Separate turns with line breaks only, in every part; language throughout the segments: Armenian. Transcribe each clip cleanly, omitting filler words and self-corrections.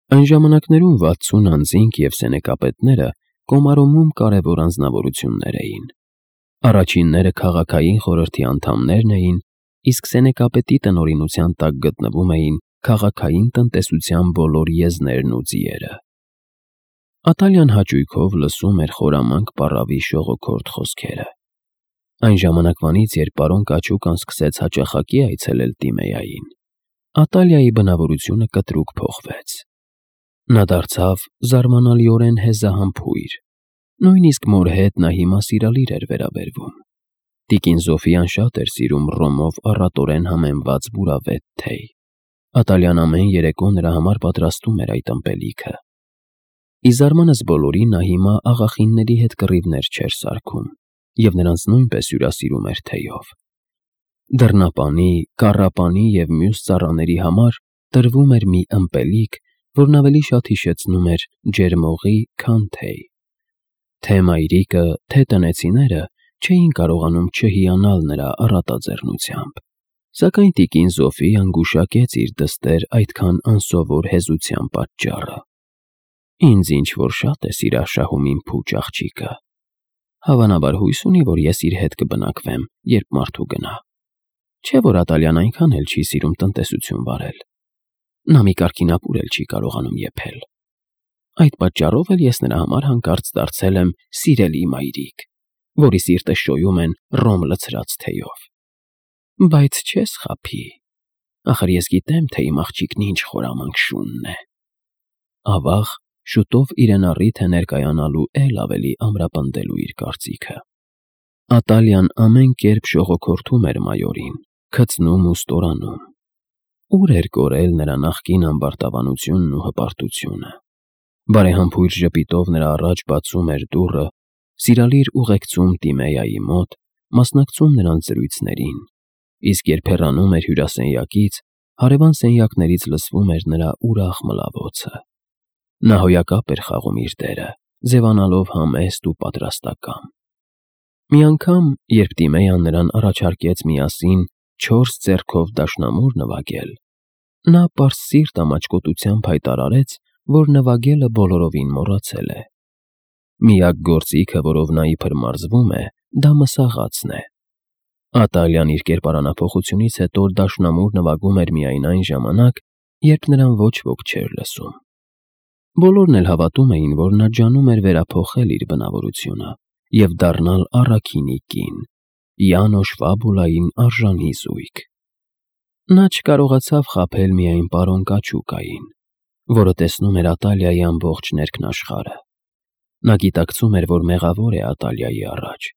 Այն ժամանակներում 60 անձինք և սենեկապետները Կոմարոմում կարևոր անձնավորություններ էին։ Առաջինները քաղաքային խորհրդի անդամներն էին, իսկ սենեկապետի տնօրինության տակ գտնվում էին քաղաքային տնտեսության բոլոր եզներն ու ձիերը։ Ատալյան հաճույքով լսում էր խորամանկ պառավի շողոքորթ խոսքերը։ Այն ժամանակվանից, երբ պարոն Կաչուկան սկսեց հաճախակի այցելել Տիմեային, Ատալիայի բնավորությունը կտրուկ փոխվեց։ Նա դարձավ զարմանալիորեն հեզահամբույր, նույնիսկ մոր հետ նա հիմա սիրալիր էր վերաբերվում։ Տիկին Զոֆիան շատ էր սիրում ռոմով առատորեն համեմված բուրավետ թեյ։ Ատալյան ամեն երեկո նրա համար պատրաստում էր այդ ըմպելիքը։ Ի զարմանս բոլորի նա հիմա աղախինների հետ կռիվներ չէր սարքում և նրանց նույնպես հյուրասիրում էր թեյով։ Դռնապանի, կառապանի և մյուս ծառաների համար տրվում էր մի ըմպելիք, որն ավելի շատ հիշեցնում էր ջերմօղի, քան թեյ։ Թե՛ մայրիկը, թե՛ տնեցիները չէին կարողանում չհիանալ նրա առատաձեռնությամբ, սակայն տիկին Զոֆիան գուշակեց իր դստեր այդքան անսովոր հեզության պատճառը։ Ինձ ինչ-որ շատ է սիրաշահում իմ փուչ աղջիկը։ Հավանաբար հույս ունի, որ ես իր հետ կբնակվեմ, երբ մարդու գնա։ Չէ՞ որ Ատալյան այնքան էլ չի սիրում տնտեսություն վարել։ Նա մի կարգինապուր էլ չի կարողանում եփել։ Այդ պատճառով էլ ես նրա համար հանկարծ դարձել եմ սիրելի մայրիկ, որի սիրտը շոյում են ռոմ լցրած թեյով։ Բայց չես խաբի։ Ախր ես գիտեմ, թե իմ աղջիկն ինչ խորամանկ շունն է։ Ավաղ, շուտով իրեն առիթ է ներկայանալու էլ ավելի ամրապնդելու իր կարծիքը։ Ատալյան ամեն կերպ շողոքորթում էր մայորին, քցնում ու ստորանում։ Ուր էր կորել նրա նախկին ամբարտավանությունն ու հպարտությունը։ Բարեհամբույր ժպիտով նրա առաջ բացում էր դուռը, սիրալիր ուղեկցում Տիմեայի մոտ, մասնակցում նրանց զրույցներին, իսկ երբ հեռանում էր հյուրասենյակից, հարևան սենյակներից լսվում էր նրա ուրախ մլավոցը։ Նա հոյակապ էր խաղում իր դերը, ձևանալով համեստ ու պատրաստակամ։ Մի անգամ, երբ Տիմեյան նրան առաջարկեց միասին 4 ձեռքով դաշնամուր նվագել, նա պարսիրտ ամաչկոտությամբ հայտարարեց, որ նվագելը բոլորովին մոռացել է։ Միակ գործիքը, որով նա իբր մարզվում է, դա մսաղացն է։ Ատալյան իր կերպարանափոխությունից հետո դաշնամուր նվագում էր միայն այն ժամանակ, երբ նրան ոչ ոք չէր լսում։ Բոլորն էլ հավատում էին, որ նա ջանում էր վերափոխել իր բնավորությունը և դառնալ առաքինի կին, Յանոշ Ֆաբուլային արժանի զույգ։ Նա չկարողացավ խաբել միայն պարոն Կաչուկային, որը տեսնում էր Ատալիայի ամբողջ ներքնաշխարհը։ Նա գիտակցում էր, որ մեղավոր է Ատալիայի առաջ,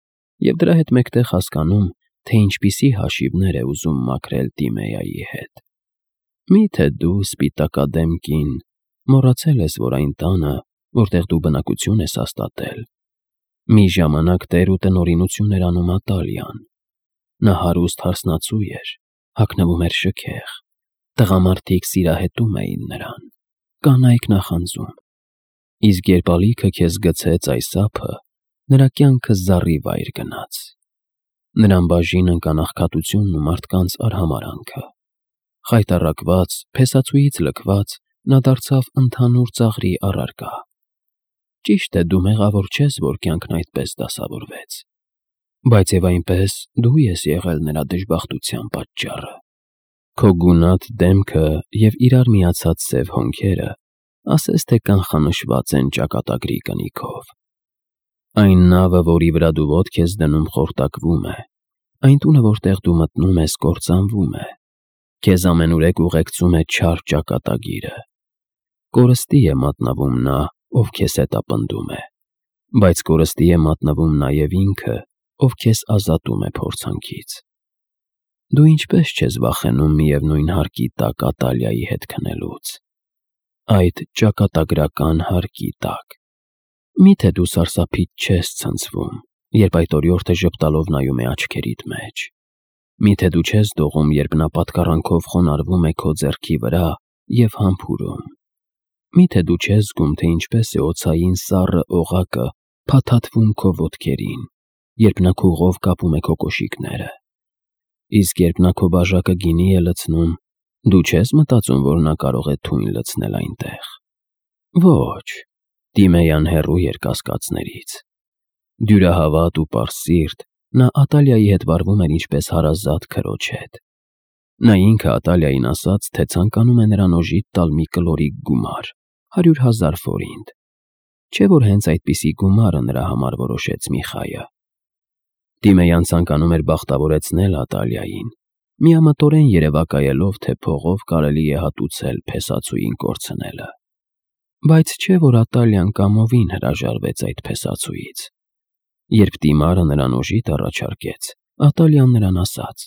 և դրա հետ մեկտեղ հասկանում, թե ինչպիսի հաշիվներ է ուզում մաքրել Տիմեայի հետ։ Մի՞թե դու, սպիտակադեմ կին, մոռացել ես, որ այն տանը, որտեղ դու բնակություն ես հաստատել, մի ժամանակ տեր ու տնօրինություն էր անում Ատալիան։ Նա հարուստ հարսնացու էր, հագնվում էր շքեղ, տղամարդիկ սիրահետում էին նրան, կանայք նախանձում։ Իսկ երբ ալիքը քեզ գցեց այս ափը, նրա կյանքը զառիվայր գնաց։ Նրան բաժին ընկան աղքատությունն ու մարդկանց արհամարհանքը։ Խայտառակված, փեսացուից լքված, նա դարձավ ընդհանուր ծաղրի առարկա։ Ճիշտ է, դու մեղավոր չես, որ կյանքն այդպես դասավորվեց, բայց և այնպես դու ես եղել նրա դժբախտության պատճառը։ Քո գունատ դեմքը և իրար միացած սև հոնքերը ասես թե կանխանշված են ճակատագրի կնիքով։ Այն նավը, որի վրա դու ոտք ես դնում, խորտակվում է, այն տունը, որտեղ դու մտնում ես, կործանվում է, քեզ ամենուրեք ուղեկցում է չար ճակատագիրը։ Կորստի է մատնվում նա, ով քեզ հետապնդում է, բայց կորստի է մատնվում նաև ինքը, ով քեզ ազատում է փորձանքից։ Դու ինչպես չես վախենում միևնույն հարկի տակ Ատալիայի հետ քնելուց, այդ ճակատագրական հարկի տակ։ Մի՞թե դու սարսափից չես ցնցվում, երբ այդ օրիորդը ժպտալով նայում է աչքերիդ մեջ։ Մի՞թե դու չես դողում, երբ նա պատկառանքով խոնարհվում է քո ձեռքի վրա և համբուրում։ Մի՞թե դու չես զգում, թե ինչպես է օձային սառը օղակը փաթաթվում քո ոտքերին, երբ նա քուղով կապում է քո կոշիկները։ Իսկ երբ նա քո բաժակը գինի է լցնում, դու չես մտածում, որ նա կարող է թույն լցնել այնտեղ։ Ոչ, Տիմեյան հեռու էր կասկածներից։ Դյուրահավատ ու պարսիրտ, նա Ատալիայի հետ վարվում էր ինչպես հարազատ քրոջ հետ։ Նա ինքը Ատալիային ասաց, թե ցանկանում է նրան օժիտ տալ մի կլորիկ գումար, 100,000 ֆորինտ, չէ՞ որ հենց այդպիսի գումարը նրա համար որոշեց Միխայը։ Տիմեյան ցանկանում էր բախտավորեցնել Ատալիային, միամտորեն երևակայելով, թե փողով կարելի է հատուցել փեսացուին կորցնելը։ Բայց չէ՞ որ Ատալիան կամովին հրաժարվեց այդ փեսացուից։ Երբ Տիմարը նրան օժիտ առաջարկեց, Ատալիան նրան ասաց.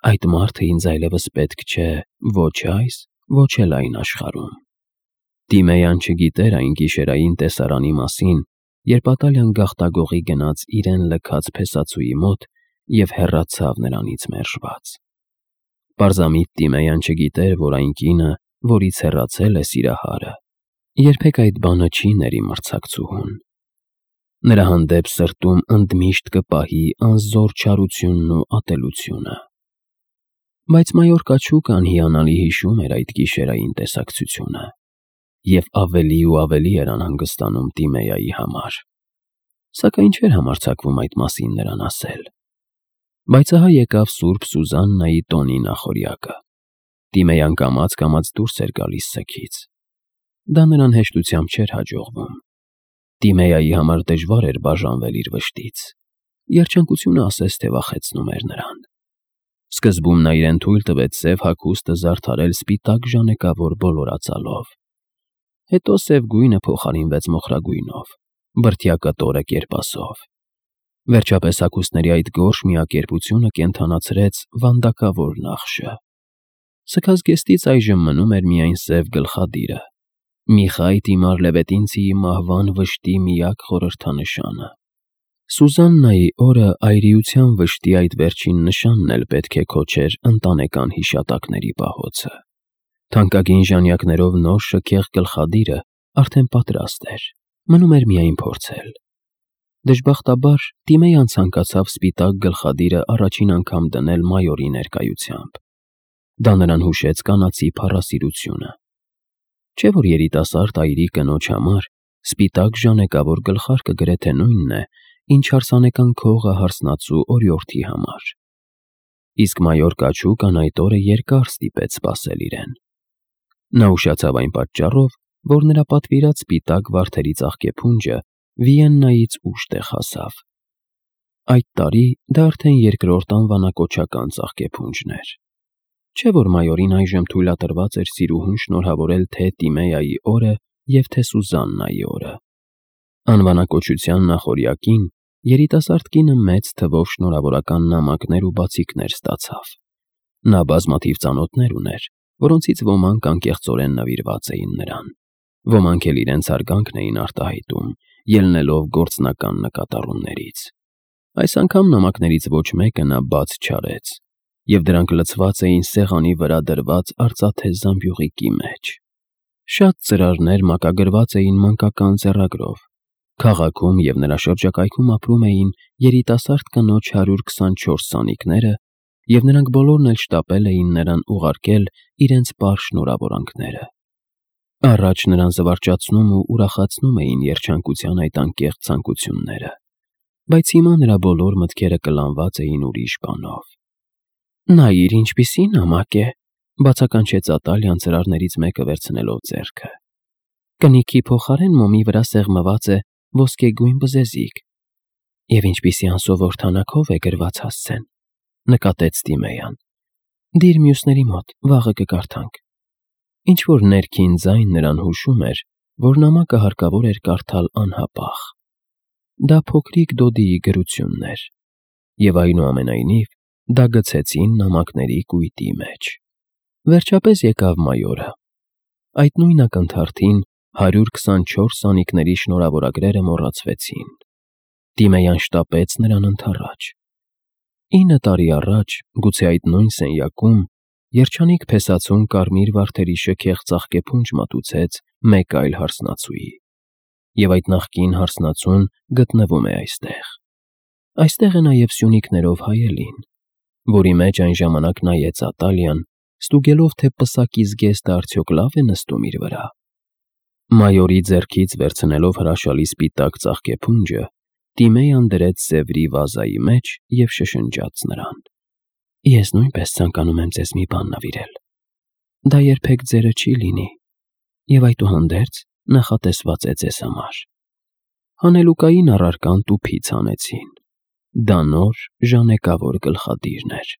«Այդ մարդը ինձ այլևս պետք չէ ոչ այս, ոչ էլ այն աշխարհում»։ Տիմեյան չգիտեր այն գիշերային տեսարանի մասին, երբ Ատալիան գաղտագողի գնաց իրեն լքած փեսացուի մոտ և հեռացավ նրանից մերժված։ Պարզամիտ Տիմեյան չգիտեր, որ այն կինը, որից հեռացել է սիրահարը, երբեք այդ բանը չի ների մրցակցուհուն։ Նրա հանդեպ սրտում ընդմիշտ կպահի անզոր չարությունն ու ատելությունը։ Բայց մայոր կաչուկան հիանալի հիշում էր այդ գիշերային տեսակցությունը և ավելի ու ավելի էր անհանգստանում Տիմեյայի համար, սակայն չէր համարձակվում այդ մասին նրան ասել։ Բայց ահա եկավ Սուրբ Սուզաննայի տոնի նախօրյակը։ Տիմեյան կամաց դուրս էր գալիս սգից։ Դա նրան հեշտությամբ չէր հաջողվում։ Տիմեյայի համար դժվար էր բաժանվել իր վշտից։ Երջանկությունը ասես թե վախեցնում էր նրան։ Սկզբում նա իրեն թույլ տվեց սև հագուստը զարդարել սպիտակ ժանեկավոր բոլորածալով։ Հետո սև գույնը փոխարինվեց մոխրագույնով, բրդյա կտորը կերպասով։ Վերջապես հագուստների այդ գորշ միակերպությունը կենդանացրեց վանդակավոր նախշը։ Սգազգեստից այժմ մնում էր միայն սև գլխադիրը, Միխայ Տիմար Լևետինցիի մահվան վշտի միակ խորհրդանշանը։ Սուզաննայի օրը այրիության վշտի այդ վերջին նշանն էլ պետք է քոչեր ընտանեկան հիշատակների պահոցը։ Թանկագին ժանյակներով նոր շքեղ գլխադիրը արդեն պատրաստ էր, մնում էր միայն փորձել։ Դժբախտաբար Տիմեյան ցանկացավ սպիտակ գլխադիրը առաջին անգամ դնել մայորի ներկայությամբ։ Դա նրան հուշեց կանացի փառասիրությունը։ Չէ՞ որ երիտասարդ այրի կնոջ համար սպիտակ ժանեկավոր գլխարկը գրեթե նույնն է, ինչ հարսանեկան քողը հարսնացու օրիորդի համար։ Իսկ մայոր կաչուկան այդ օրը երկար ստիպեց սպասել իրեն։ Նա ուշացավ այն պատճառով, որ նրա պատվիրած սպիտակ վարդերի ծաղկեփունջը Վիեննայից ուշ տեղ հասավ։ Այդ տարի դա արդեն երկրորդ անվանակոչական ծաղկեփունջն էր։ Չէ՞ որ մայորին այժմ թույլատրված էր սիրուհուն շնորհավորել թե Տիմեյայի օրը և թե Սուզաննայի օրը։ Անվանակոչության նախօրյակին երիտասարդ կինը մեծ թվով շնորհավորական նամակներ ու բացիկներ ստացավ։ Նա բազմաթիվ ծանոթներ ուներ, որոնցից ոմանք անկեղծորեն նվիրված էին նրան, ոմանք էլ իրենց հարգանքն էին արտահայտում, ելնելով գործնական նկատառումներից։ Այս անգամ նամակներից ոչ մեկը նա բաց չարեց, և դրանք լցված էին սեղանի վրա դրված արծաթե զամբյուղիկի մեջ։ Շատ ծրարներ մակագրված էին մանկական ձեռագրով։ Քաղաքում և նրա շրջակայքում ապրում էին երիտասարդ կնոջ 124 սանիկները, և նրանք բոլորն էլ շտապել էին նրան ուղարկել իրենց պար շնորհավորանքները։ Առաջ նրան զվարճացնում ու ուրախացնում էին երջանկության այդ անկեղծ ցանկությունները, բայց հիմա նրա բոլոր մտքերը կլանված էին ուրիշ բանով։ «Նայիր, ինչպիսի նամակ է», բացականչեց Ատալիան ծրարներից մեկը վերցնելով ձեռքը։ «Կնիքի փոխարեն մոմի վրա սեղմված է ոսկեգույն բզեզիկ։ Եվ ինչպիսի անսովոր թանաքով է գրված հասցեն», նկատեց Տիմեյան։ «Դիր մյուսների մոտ, վաղը կկարդանք»։ Ինչ-որ ներքին ձայն նրան հուշում էր, որ նամակը հարկավոր էր կարդալ անհապաղ։ Դա փոքրիկ Դոդիի գրությունն էր, և այնուամենայնիվ դա գցեցին նամակների կույտի մեջ։ Վերջապես եկավ մայորը։ Այդ նույն ակնթարթին 124 սանիկների շնորհավորագրերը մոռացվեցին։ Տիմեյան շտապեց նրան ընդառաջ։ 9 տարի առաջ, գուցե այդ նույն սենյակում, երջանիկ փեսացուն կարմիր վարդերի շքեղ ծաղկեփունջ մատուցեց մեկ այլ հարսնացուի։ Եվ այդ նախկին հարսնացուն գտնվում է այստեղ։ Այստեղ է նաև սյունիկներով հայելին, որի մեջ այն ժամանակ նայեց Ատալիան, ստուգելով, թե պսակի զգեստը արդյոք լավ է նստում իր վրա։ Մայորի ձեռքից վերցնելով հրաշալի սպիտակ ծաղկեփունջը, Տիմեյան դրեց Սևրի վազայի մեջ և շշնջաց նրան. «Ես նույնպես ցանկանում եմ ձեզ մի բան նվիրել։ Դա երբեք ձերը չի լինի, և այդուհանդերձ նախատեսված է ձեզ համար»։ Հանելուկային առարկան տուփից հանեցին։ Դա նոր, ժանեկավոր գլխադիրն էր։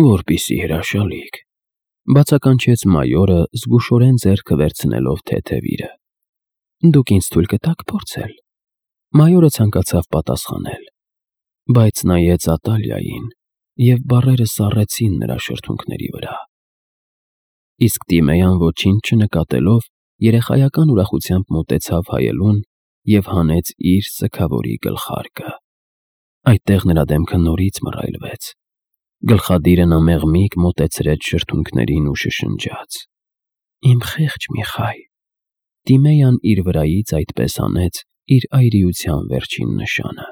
«Որպիսի հրաշալիք», բացականչեց մայորը, զգուշորեն ձեռքը վերցնելով թեթևիրը։ «Դուք ինձ թույլ կտաք փորձել»։ Մայորը ցանկացավ պատասխանել, բայց նայեց Ատալիային, և բառերը սառեցին նրա շրթունքների վրա։ Իսկ Տիմեյան ոչինչ չնկատելով, երեխայական ուրախությամբ մոտեցավ հայելուն և հանեց իր սգավորի գլխարկը։ Այդտեղ նրա դեմքը նորից մռայլվեց։ Գլխադիրը նա մեղմիկ մոտեցրեց շրթունքներին ու շշնջաց. «Իմ խեղճ Միխայ»։ Տիմեյան իր վրայից այդպես անեց իր այրիության վերջին նշանը։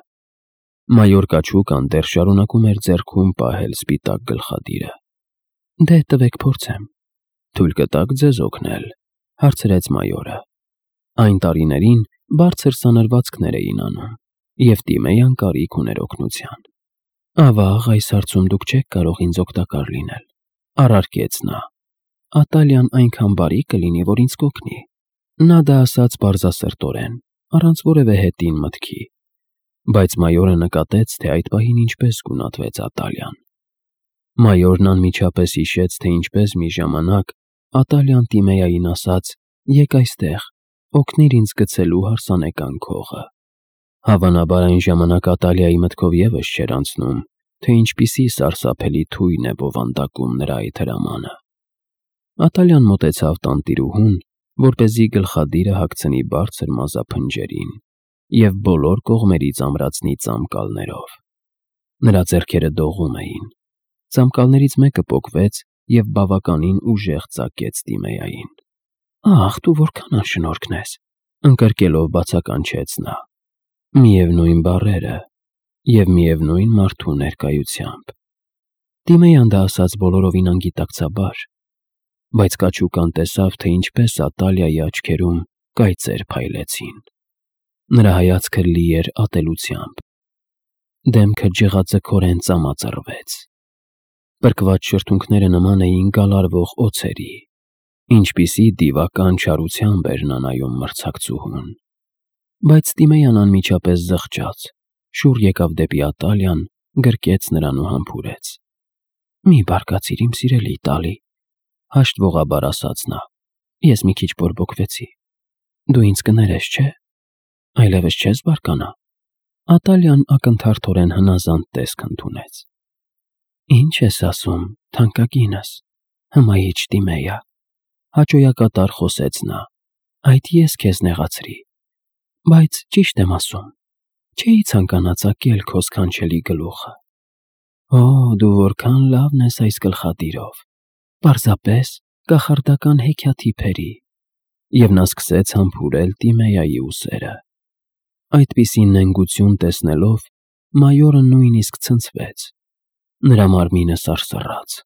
Մայոր Կաչուկան դեռ շարունակում էր ձեռքում պահել սպիտակ գլխադիրը։ «Դե տվեք փորձեմ»։ «Թույլ կտաք ձեզ օգնել», հարցրեց մայորը։ Այն տարիներին բարձր սանրվածքներ էին անում, և Տիմեյան կարիք ուներ օգնության։ «Ավաղ, այս հարցում դուք չեք կարող ինձ օգտակար լինել», առարկեց նա։ «Ատալիան այնքան բարի կլինի, որ ինձ կօգնի»։ Նա դա ասաց պարզասրտորեն, առանց որևէ հետին մտքի, բայց մայորը նկատեց, թե այդ պահին ինչպես գունատվեց Ատալիան։ Մայորն անմիջապես հիշեց, թե ինչպես մի ժամանակ Ատալիան Տիմեային ասաց. «Եկ այստեղ, օգնիր ինձ գցելու հարսանեկան քողը»։ Հավանաբար այն ժամանակ Ատալիայի մտքով ևս չէր անցնում, թե ինչպիսի սարսափելի թույն է բովանդակում նրա այդ հրամանը։ Ատալիան մոտեցավ տանտիրուհուն, որպեսզի գլխադիրը հագցնի բարձր մազափնջերին և բոլոր կողմերից ամրացնի ծամկալներով։ Նրա ձեռքերը դողում էին։ Ծամկալներից մեկը պոկվեց և բավականին ուժեղ ծակեց Տիմեային։ «Ախ, դու որքան անշնորհքն ես», ընկրկելով բացականչեց նա։ Միևնույն բառերը և միևնույն մարդու ներկայությամբ։ Տիմեյան դա ասաց բոլորովին անգիտակցաբար, բայց Կաչուկան տեսավ, թե ինչպես Ատալիայի աչքերում կայծեր փայլեցին։ Նրա հայացքը լի էր ատելությամբ։ Դեմքը ջղաձգորեն ծամածռվեց։ Պրկված շրթունքները նման էին գալարվող օձերի։ Ինչպիսի դիվական չարությամբ էր նա նայում մրցակցուհուն։ Բայց Տիմեյան անմիջապես զղջաց, շուռ եկավ դեպի Ատալիան, գրկեց նրան ու համբուրեց։ «Մի բարկացիր, իմ սիրելի Տալի», հաշտվողաբար ասաց նա։ «Ես մի քիչ բորբոքվեցի։ Դու ինձ կներես, չէ՞։ Այլևս չես բարկանա»։ Ատալիան ակնթարթորեն հնազանդ տեսք ընդունեց։ «Ինչ ես ասում, թանկագինս, հմայիչ Տիմեյա», հաճոյակատար խոսեց նա։ «Այդ ես քեզ նեղացրի։ Բայց ճիշտ եմ ասում, չէի ցանկանա ծակել քո սքանչելի գլուխը։ Օ, դու որքան լավն ես այս գլխադիրով, պարզապես կախարդական հեքիաթի փերի»։ Եվ նա սկսեց համբուրել Տիմեյայի ուսերը։ Այդպիսի նենգություն տեսնելով, մայորը նույնիսկ ցնցվեց։ Նրա մարմինը սարսռաց։